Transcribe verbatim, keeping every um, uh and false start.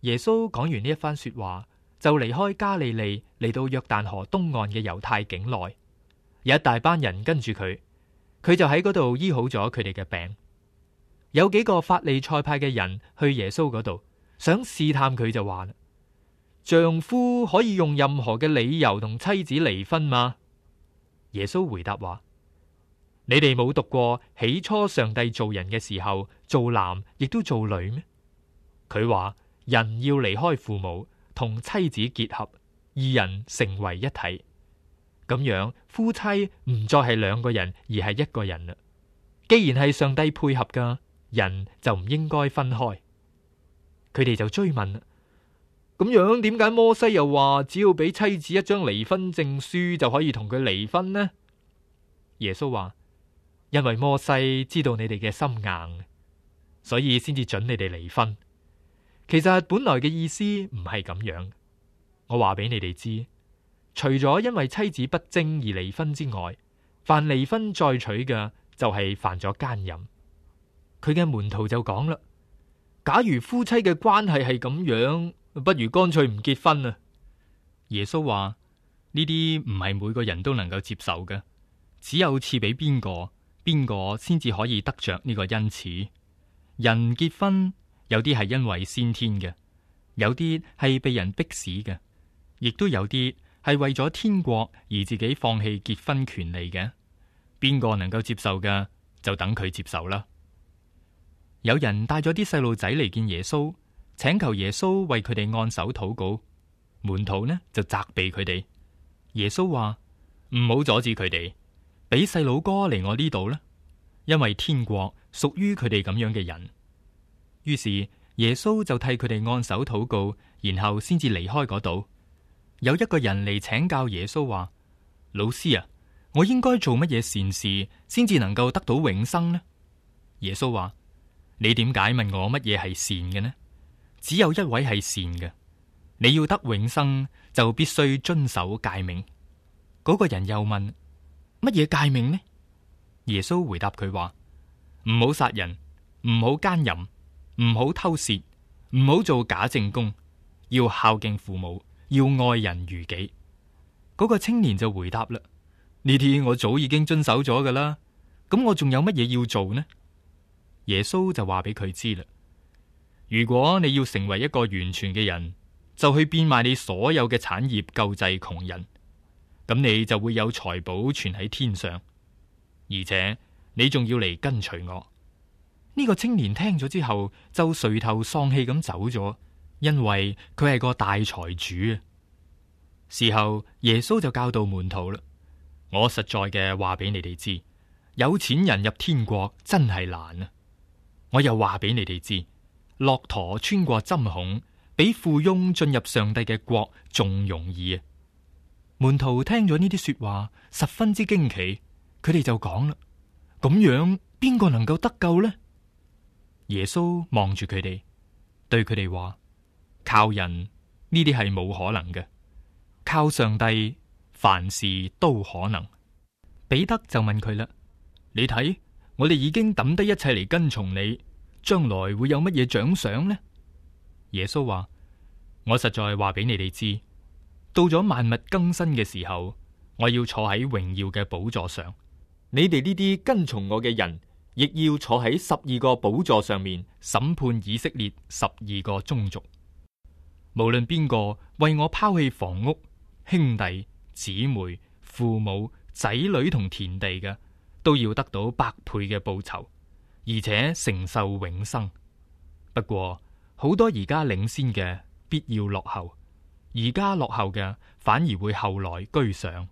耶穌講完呢一番說話，就離開加利利，嚟到約旦河東岸嘅猶太境內，有一大班人跟住佢，佢就喺嗰度醫好咗佢哋嘅病。有幾個法利賽派嘅人去耶穌嗰度，想試探佢，就話啦：丈夫可以用任何嘅理由同妻子離婚嗎？耶穌回答話：你哋冇讀過起初上帝造人嘅時候，做男亦都做女咩？佢話人要離開父母，同妻子結合，二人成為一體。咁樣夫妻唔再係兩個人，而係一個人啦。既然係上帝配合噶，人就唔應該分開。佢哋就追問啦：咁樣點解摩西又話只要俾妻子一張離婚證書就可以同佢離婚呢？耶穌話：因為摩西知道你哋嘅心硬，所以先至准你哋離婚。其實本來嘅意思唔係咁樣。我話俾你哋知，除咗因為妻子不貞而離婚之外，凡離婚再娶嘅就係犯咗奸淫。佢嘅門徒就講啦：假如夫妻嘅關係係咁樣，不如乾脆唔結婚啊！耶穌話：呢啲唔係每個人都能夠接受嘅，只有賜俾邊個，邊個先至可以得着呢個恩賜。人結婚有啲係因為先天嘅，有啲係被人逼使嘅，亦都有啲係為咗天國而自己放棄結婚權利嘅。邊個能夠接受嘅，就等佢接受啦。有人帶咗啲細路仔嚟見耶穌，請求耶穌為佢哋按手禱告。門徒呢就責備佢哋。耶穌話：唔好阻止佢哋，俾細佬哥嚟我呢度啦，因為天國屬於佢哋咁樣嘅人。於是耶穌就替佢哋按手禱告，然後先至離開嗰度。有一個人嚟請教耶穌話：老師啊，我應該做乜嘢善事先至能夠得到永生呢？耶穌話：你點解問我乜嘢係善嘅呢？只有一位係善嘅，你要得永生就必須遵守誡命。嗰個人又問：乜嘢誡命呢？耶穌回答佢話：唔好殺人，唔好奸淫，唔好偷竊，唔好做假證供，要孝敬父母，要愛人如己。嗰個青年就回答啦：呢啲我早已經遵守咗噶啦，咁我仲有乜嘢要做呢？耶穌就話俾佢知啦：如果你要成為一個完全嘅人，就去變賣你所有嘅產業救濟窮人，咁你就會有財寶存喺天上，而且你仲要嚟跟隨我。呢個青年聽咗之後就垂頭喪氣咁走咗，因為佢係個大財主啊。事後耶穌就教導門徒啦：我實在嘅話俾你哋知，有錢人入天國真係難啊！我又話俾你哋知，駱駝穿過針孔，比富翁進入上帝嘅國仲容易啊！門徒聽咗呢啲說話，十分之驚奇，佢哋就講啦：咁樣邊個能夠得救呢？耶穌望住佢哋，對佢哋話：靠人呢啲係冇可能嘅，靠上帝凡事都可能。彼得就問佢啦：你睇，我哋已經抌低一切嚟跟從你，將來會有乜嘢獎賞呢？耶穌話：我實在話俾你哋知，到咗萬物更新嘅時候，我要坐喺榮耀嘅寶座上，你哋呢啲跟從我嘅人，亦要坐喺十二個寶座上面審判以色列十二個宗族。無論邊個為我拋棄房屋、兄弟、姊妹、父母、仔女同田地嘅，都要得到百倍嘅報酬，而且承受永生。不過好多而家領先嘅必要落後，而家落後嘅反而會後來居上。